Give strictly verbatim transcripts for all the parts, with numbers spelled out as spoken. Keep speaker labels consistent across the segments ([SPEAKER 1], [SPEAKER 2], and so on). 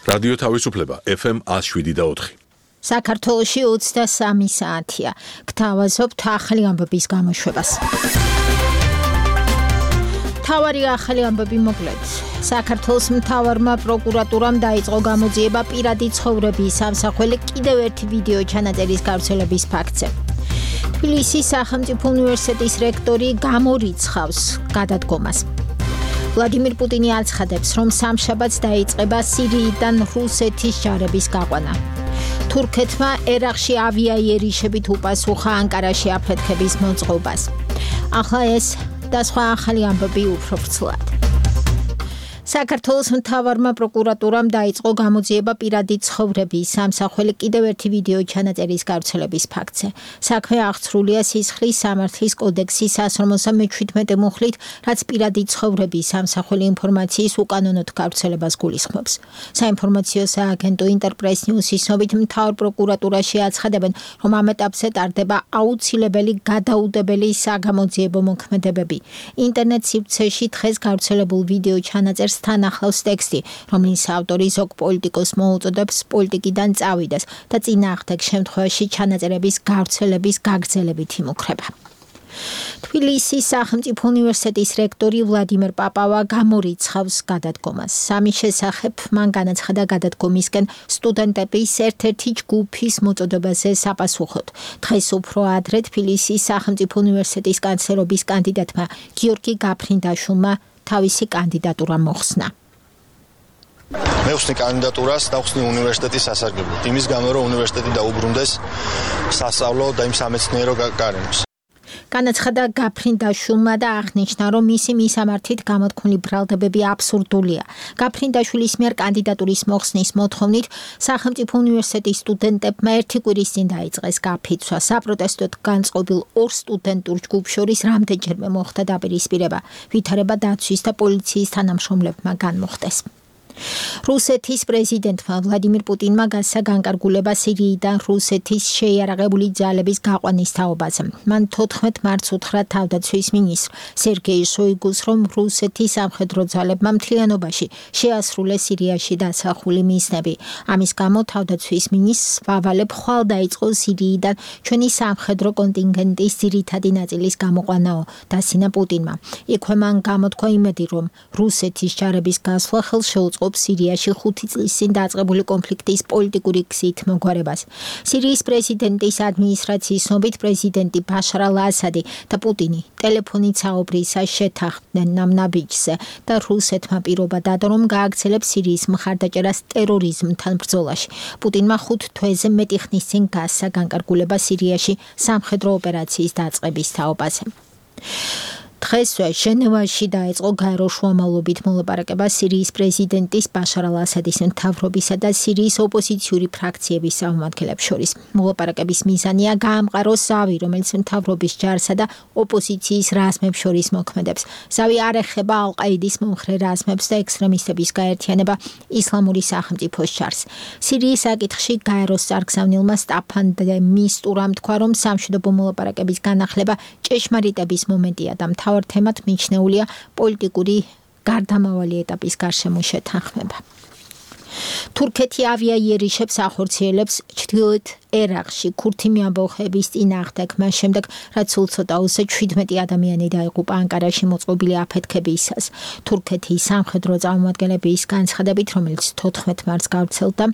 [SPEAKER 1] რადიო თავისუფლება ეფ ემ ათს შვიდი და ოთხი.
[SPEAKER 2] საქართველოში ოცდასამი საათია. გთავაზობთ ახალი ამბების გამოშვებას. თავარი ახალი ამბები მოკლედ. საქართველოს მთავარმა პროკურატურამ დაიწყო გამოძიება პირადი ცხოვრების სამსახური კიდევ ერთი ვიდეო ჩანაწერის გავრცელების ფაქტზე. თბილისის სახელმწიფო უნივერსიტეტის რექტორი გამორიცხავს გადადგომას. ვლადიმირ პუტინი აცხადებს, რომ სამშაბათს დაიწყება სირიიდან რუსეთის ჯარების გაყვანა. თურქეთმა ერაყში ავიაიერიშებით უპასუხა ანკარაში აფეთქების მოწყობას. ახლა ეს და სხვა ახალი ამბები უფრო ვრცლად. საქართველოს მთავარმა პროკურატურამ დაიწყო გამოძიება პირადი ცხოვრების სამსახური კიდევ ერთი ვიდეო ჩანაწერის გავრცელების ფაქტზე. საქმე აღსრულია სისხლის სამართლის კოდექსის საშრომოსა მეჩვიდმეტე მუხლით, რაც პირადი ცხოვრების სამსახური ინფორმაციის უკანონოდ გავრცელებას გულისხმობს. საინფორმაციო სააგენტო ინტერპრეს ნიუსის ცნობით მთავარ პროკურატურაში აცხადებენ, რომ ამ ეტაპზე ტარდება აუცილებელი გადაუდებელი საგამოძიებო მოქმედებები. ინტერნეტ სივრცეში დღეს გავრცელებულ ვიდეო ჩანაწერს თან ახლავს ტექსტი, რომლის ავტორი ზოგ პოლიტიკოს მოუწოდებს პოლიტიკიდან წავიდეს და წინააღმდეგ შემთხვევაში ჩანაწერების გავრცელების გაგრძელებით იმუქრება. თბილისის სახელმწიფო უნივერსიტეტის რექტორი ვლადიმერ პაპავა გამორიცხავს გადადგომას. სამის შესახებ მან განაცხადა გადადგომისკენ სტუდენტების ერთ-ერთი ჯგუფის მოწოდებაზე საპასუხოდ. დღეს უფრო ადრე თბილისის სახელმწიფო უნივერსიტეტის კანცლერობის კანდიდატმა გიორგი გაფრინდაშვილმა თავისი კანდიდატურა მოხსნა.
[SPEAKER 3] მე ვხსნი კანდიდატურას და ვხსნი უნივერსიტეტის სასარგებლოდ. იმის გამო, რომ უნივერსიტეტი დაუბრუნდეს სასწავლო და იმ სამეცნიერო გარემოს.
[SPEAKER 2] განაცხადა გაფრინდაშვილმა და აღნიშნა, რომ მისი მისამართით გამოთქმული ბრალდებები აბსურდულია. გაფრინდაშვილის მიერ კანდიდატურის მოხსნის მოთხოვნით სახელმწიფო უნივერსიტეტის სტუდენტებმა ერთი კვირის წინ დაიწყეს გაფიცვა. საპროტესტოდ განწყობილ ორ სტუდენტურ ჯგუფს შორის რამდენჯერმე მოხდა დაპირისპირება. ვითარება დაცვის და პოლიციის თანამშრომლებმა განმოხტეს. რუსეთის პრეზიდენტმა ვლადიმირ პუტინმა გასცა განკარგულება სირიიდან რუსეთის შეიარაღებული ძალების გაყვანის თაობაზე. მან თოთხმეტ მარტს უთხრა თავდაცვის მინისტრ სერგეი შოიგუს, რომ რუსეთის სამხედრო ძალებმა მთლიანობაში შეასრულეს სირიაში დასახული მისნები. ამის გამო თავდაცვის მინისტრს ვავალებ ხვალ დაიწყო სირიიდან ჩვენი სამხედრო კონტინგენტის ძირითადი ნაწილის გამოყვანაო, დასინა პუტინმა. იქვე მან გამოთქვა იმედი, რომ რუსეთის ჯარების გასვლა ხელს შეუწყობს სირიაში ხუთი წლის წინ დაწყებული კონფლიქტის პოლიტიკური გზით მოგვარებას. სირიის პრეზიდენტის ადმინისტრაციის ცნობით პრეზიდენტი ბაშარ ალ-ასადი და პუტინი ტელეფონით საუბრისას შეთანხმდნენ ნამნაბიჯზე და რუსეთმა პირობა დადო, რომ გააგრძელებს სირიის მხარდაჭერას ტერორიზმთან ბრძოლაში. პუტინმა ხუთ თვეზე მეტი ხნის წინ გასცა განკარგულება სირიაში სამხედრო ოპერაციის დაწყების თაობაზე. დღესვე ჟენევაში დაიწყო გაერო შუამავლობით მოლაპარაკება სირიის პრეზიდენტის ბაშარ ალ-ასადის მთავრობისა და სირიის ოპოზიციური ფრაქციების წარმომადგენლებს შორის. მოლაპარაკების მიზანია გაამყაროს ზავი, რომელიც მთავრობის ჯარსა და ოპოზიციის რაზმებს შორის მოქმედებს. ზავი არ ეხება ალ-ყაიდის მომხრე რაზმებს და ექსტრემისტების გაერთიანება ისლამური სახელმწიფოს ჯარს. სირიის საკითხში გაეროს წარგზავნილმა სტაფან დე მისტურამ თქვა, რომ სამშვიდობო მოლაპარაკების განახლება ჭეშმარიტების მომენტია და მთავარ თემად მიჩნეულია პოლიტიკური გარდამავალი ეტაპის გარშემო შეთანხმება. თურქეთი ავიაიერიშებს ახორციელებს ჩრდილოეთ ერაყში ქურთი მიამბოხების წინააღმდეგ, მას შემდეგ რაც სულ ცოტა უსე შვიდმეტი ადამიანი დაიღუპა ანკარაში მოწყობილი აფეთქებისას. თურქეთის სამხედრო წარმომადგენლების განცხადებით, რომელიც თოთხმეტ მარტს გავრცელდა,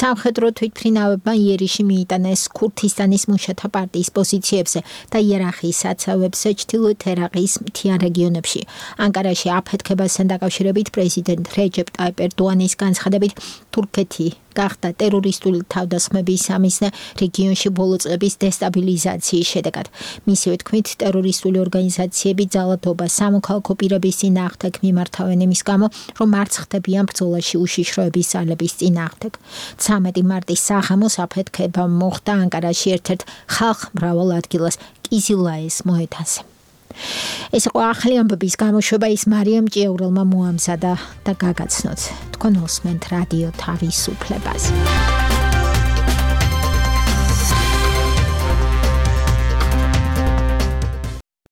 [SPEAKER 2] სამხედრო თვითმფრინავებმა იერიში მიიტანეს ქურთისტანის მუშათა პარტიის პოზიციებზე და იერახის საცავებზე ჩრდილოეთ ერაყის მთიან რეგიონებში. ანკარაში აფეთქებასთან დაკავშირებით პრეზიდენტ რეჯეპ ტაიპ ერდოანის განცხადებით, თურქეთი გახდა ტერორისტული თავდასხმების სამიზნე რეგიონში ბოლო წლების დესტაბილიზაციის შედეგად. მისივე თქმით, ტერორისტული ორგანიზაციები ძალადობა სამოქალაქო პირების წინააღმდეგ მიმართავენ იმის გამო, რომ არც ხდებიან ბრძოლაში უშიშროების ძალების წინააღმდეგ. ცამეტი მარტის საღამოს აფეთქება მოხდა ანკარაში ერთ-ერთ ხალხმრავალ ადგილას კიზილაის მოედანზე. ეს იყო ახალი ამბების გამოშვება, ის მარიამ ჭიაურელმა მოამზადა და გაგაცნოთ. თქვენ უსმენთ რადიო თავისუფლებას.